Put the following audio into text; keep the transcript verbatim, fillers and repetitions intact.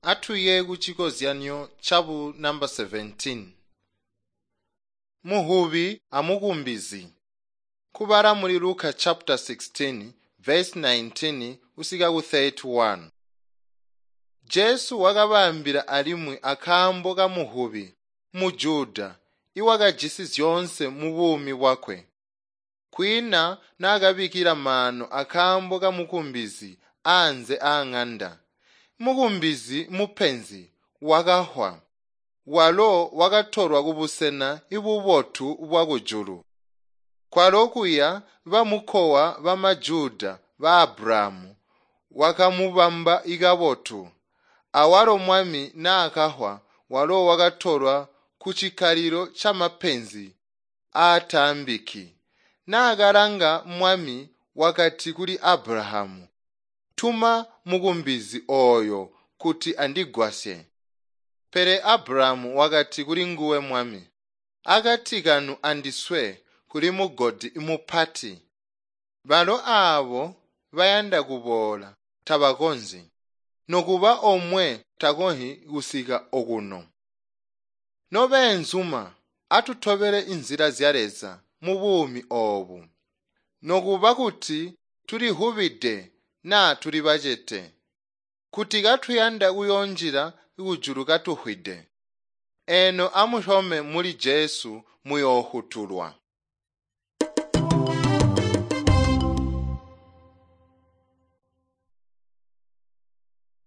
Atuye kucikozyanyo cabu namba seventeen. Muhubi amukumbizi. Kubala muli Luka chapter sixteen verse nineteen kusika ku thirty-one. Jesu wakabaambila alimwi akaambo kamuhubi muJuda iwakajisi zyoonse mubuumi bwakwe. Kwiina naakabikkila maano akaambo kamukumbizi anze aang'anda. Mukumbizi mupenzi wakahwa. Walo wakatolwa kubusena bubotu bwakujulu. Kwalo kuya bamukowa bamaJuda ba Abrahamu wakamubamba kabotu. Awalo mwami naakahwa walo wakatolwa kucikkalilo camapenzi aataambiki. Naakalanga mwami wakati kuli Abrahamu, "Tuma mukumbizi ooyo kuti andigwasye." Pele Abrahamu wakati kulinguwe mwami, "Akati kanu andiswe kuli mugodi mupati. Balo aabo bayanda kuboola tabakonzyi, nokuba omwe takonzyi kusika okuno." Nobeenzuma, atutobele inzila zya Leza mubuumi oobu. Nokuba kuti tulihubide naa tuli bacete, kuti katuyanda kuyoonjila kujulu katuhwide. Eno amusyome muli Jesu muyoofutulwa.